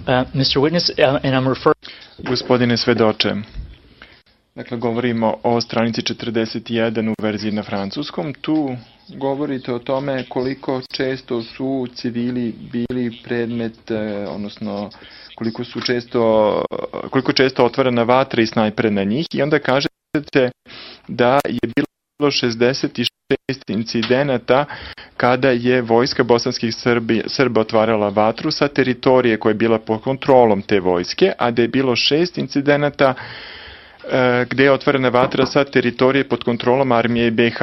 Mr. Witness, and I'm referring... Gospodine svedoče, dakle govorimo o stranici 41 u verziji na francuskom. Tu govorite o tome koliko često su civili bili predmet, odnosno koliko često otvorena vatra i snajpere na njih, i onda kažete da je bilo 66 incidenata kada je vojska bosanskih Srba otvarala vatru sa teritorije koja je bila pod kontrolom te vojske, a da je bilo 6 incidenata gde je otvorena vatra sa teritorije pod kontrolom armije BiH.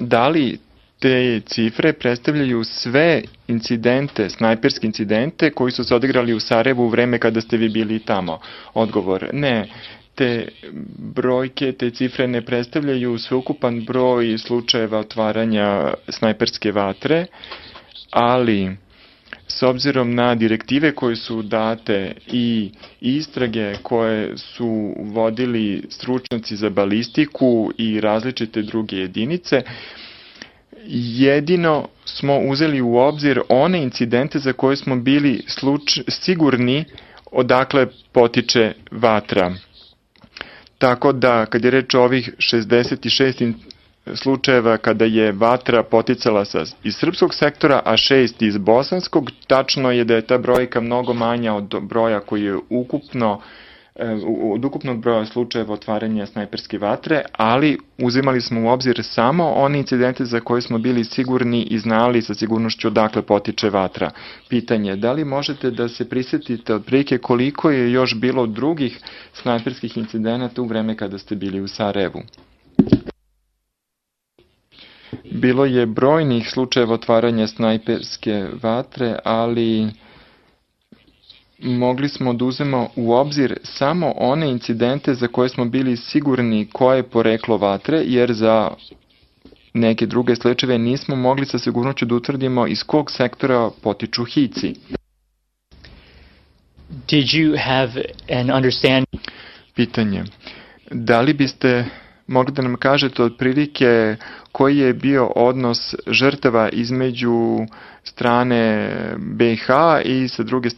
Da li te cifre predstavljaju sve incidente, snajperske incidente koji su se odigrali u Sarajevu u vreme kada ste vi bili tamo? Odgovor: ne. Te brojke, te cifre ne predstavljaju sveukupan broj slučajeva otvaranja snajperske vatre, ali s obzirom na direktive koje su date i istrage koje su vodili stručnjaci za balistiku i različite druge jedinice, jedino smo uzeli u obzir one incidente za koje smo bili sigurni odakle potiče vatra. Tako da, kad je reč o ovih 66 slučajeva kada je vatra poticala iz srpskog sektora, a 6 iz bosanskog, tačno je da je ta brojka mnogo manja od broja koji je od ukupnog broja slučajeva otvaranja snajperske vatre, ali uzimali smo u obzir samo one incidente za koje smo bili sigurni i znali sa sigurnošću odakle potiče vatra. Pitanje: da li možete da se prisjetite otprilike koliko je još bilo drugih snajperskih incidenata u vreme kada ste bili u Sarajevu? Bilo je brojnih slučajeva otvaranja snajperske vatre, ali mogli smo da uzmemo u obzir samo one incidente za koje smo bili sigurni koje je poreklo vatre, jer za neke druge slučajeve nismo mogli sa sigurnošću da utvrdimo iz kog sektora potiču hici. Did you have an understanding? Pitanje: da li biste mogli da nam kažete otprilike koji je bio odnos žrtava između strane BiH i sa druge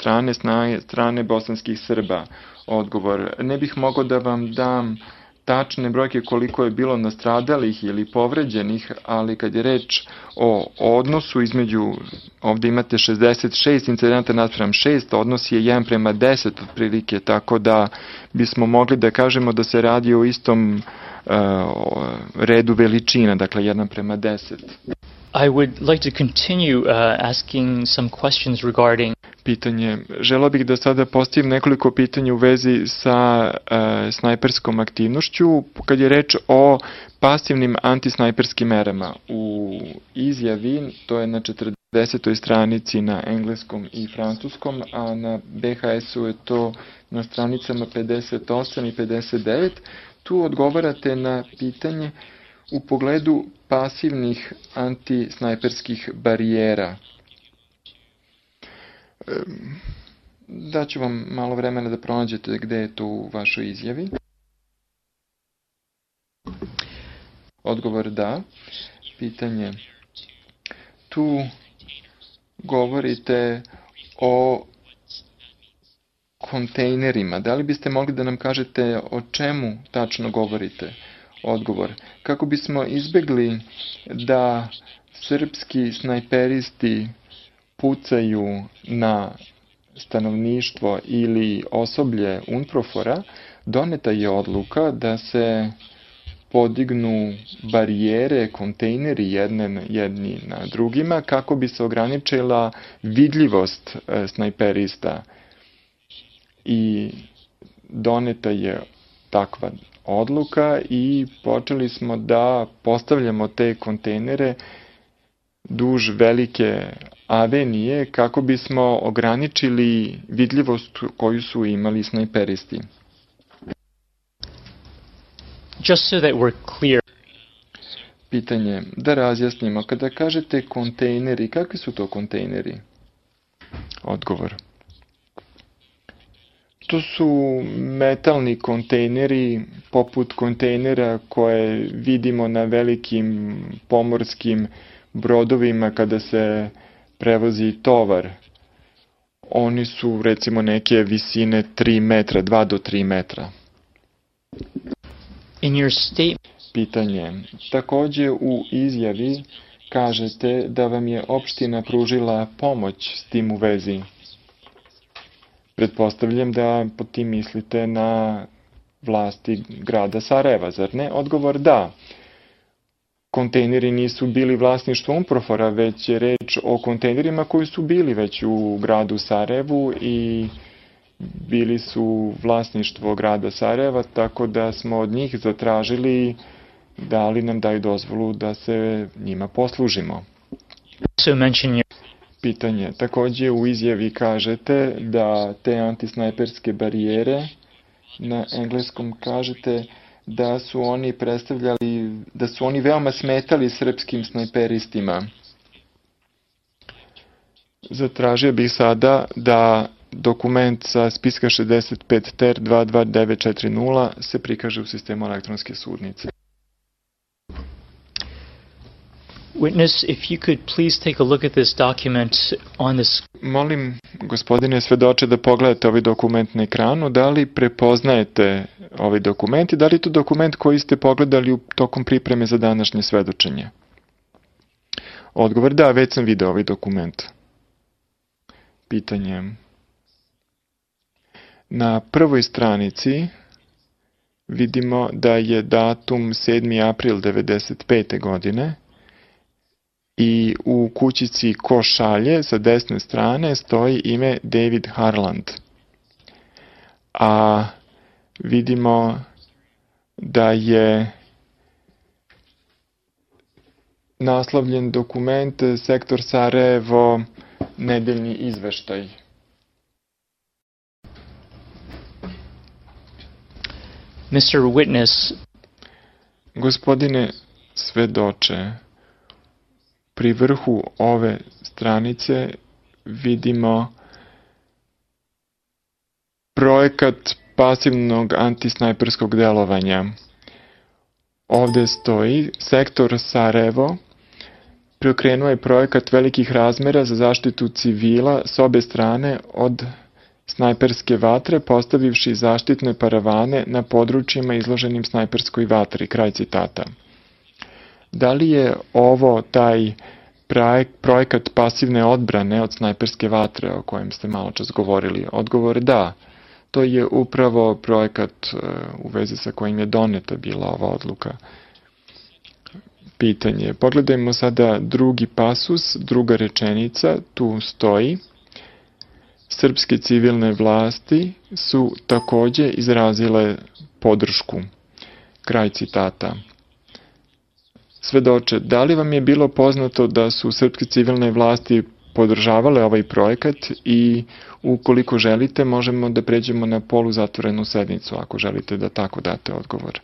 strane bosanskih Srba? Odgovor: ne bih mogao da vam dam tačne brojke koliko je bilo nastradalih ili povređenih, ali kad je reč o odnosu između, ovde imate 66 incidenta naspram 6, odnos je 1:10 otprilike, tako da bismo mogli da kažemo da se radi o istom redu veličina, dakle 1:10. I would like to continue asking some questions regarding... Pitanje: želeo bih da sada postavim nekoliko pitanja u vezi sa snajperskom aktivnošću kad je reč o pasivnim antisnajperskim merama. U izjavi, to je na 40. stranici na engleskom i francuskom, a na BHS-u je to na stranicama 58 i 59, tu odgovarate na pitanje u pogledu pasivnih antisnajperskih barijera. Daću vam malo vremena da pronađete gde je to u vašoj izjavi. Odgovor: da. Pitanje: tu govorite o kontejnerima. Da li biste mogli da nam kažete o čemu tačno govorite? Odgovor: kako bismo izbegli da srpski snajperisti pucaju na stanovništvo ili osoblje UNPROFOR-a, doneta je odluka da se podignu barijere, kontejneri jedni na drugima kako bi se ograničila vidljivost snajperista. I doneta je takva odluka i počeli smo da postavljamo te kontejnere duž velike avenije kako bismo ograničili vidljivost koju su imali snajperisti. Just so that we're clear. Pitanje: da razjasnimo, kada kažete kontejneri, kakvi su to kontejneri? Odgovor: to su metalni kontejneri poput kontejnera koje vidimo na velikim pomorskim brodovima kada se prevozi tovar. Oni su recimo neke visine 3 metra, 2 do 3 metra. In your statement, Pitanje. Takođe u izjavi kažete da vam je opština pružila pomoć s tim u vezi. Pretpostavljam da po tim mislite na vlasti grada Sarajeva, zar ne? Odgovor da. Kontejneri nisu bili vlasništvo Unprofora, već je reč o kontejnerima koji su bili već u gradu Sarajevu i bili su vlasništvo grada Sarajeva, tako da smo od njih zatražili da li nam daju dozvolu da se njima poslužimo. Pitanje. Takođe u izjavi kažete da te antisnajperske barijere, na engleskom kažete da su oni predstavljali, da su oni veoma smetali srpskim snajperistima. Zatražio bih sada da dokument sa spiska 65 TER 22940 se prikaže u sistemu elektronske sudnice. Witness, if you could please take a look at this document on this. Molim, gospodine svedoče, da pogledate ovaj dokument na ekranu. Da li prepoznajete ovaj dokument i da li je to dokument koji ste pogledali tokom pripreme za današnje svedočenje? Odgovor da, već sam video ovaj dokument. Pitanje. Na prvoj stranici vidimo da je datum 7. april 1995. godine i u kućici ko šalje sa desne strane stoji ime David Harland. A vidimo da je naslovljen dokument Sektor Sarajevo, nedeljni izveštaj. Mr. Witness. Gospodine svedoče, pri vrhu ove stranice vidimo projekat pasivnog antisnajperskog delovanja. Ovde stoji Sektor Sarajevo preokrenuo je projekat velikih razmera za zaštitu civila s obe strane od snajperske vatre, postavivši zaštitne paravane na područjima izloženim snajperskoj vatri. Kraj citata. Da li je ovo taj projekat pasivne odbrane od snajperske vatre o kojem ste malo čas govorili? Odgovor da. To je upravo projekat u vezi sa kojim je doneta bila ova odluka. Pitanje. Pogledajmo sada drugi pasus, druga rečenica. Tu stoji: srpske civilne vlasti su takođe izrazile podršku. Kraj citata. Svedoče, da li vam je bilo poznato da su srpske civilne vlasti podržavale ovaj projekat i ukoliko želite možemo da pređemo na poluzatvorenu sednicu ako želite da tako date odgovor.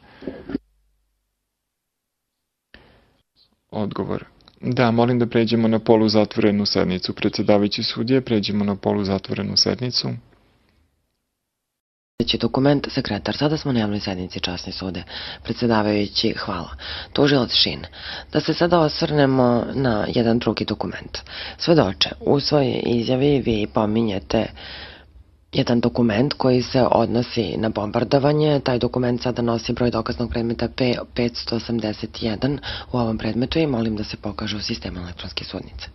Odgovor. Da, molim da pređemo na poluzatvorenu sednicu. Predsedavajući sudije, pređemo na poluzatvorenu sednicu. Sljedeći dokument, sekretar. Sada smo na javnoj sednici, časni sude. Predsedavajući, hvala. Tužilac Šin. Da se sada osvrnemo na jedan drugi dokument. Svedoče, u svojoj izjavi vi pominjete jedan dokument koji se odnosi na bombardovanje. Taj dokument sada nosi broj dokaznog predmeta P581 u ovom predmetu i molim da se pokaže u sistemu elektronske sudnice.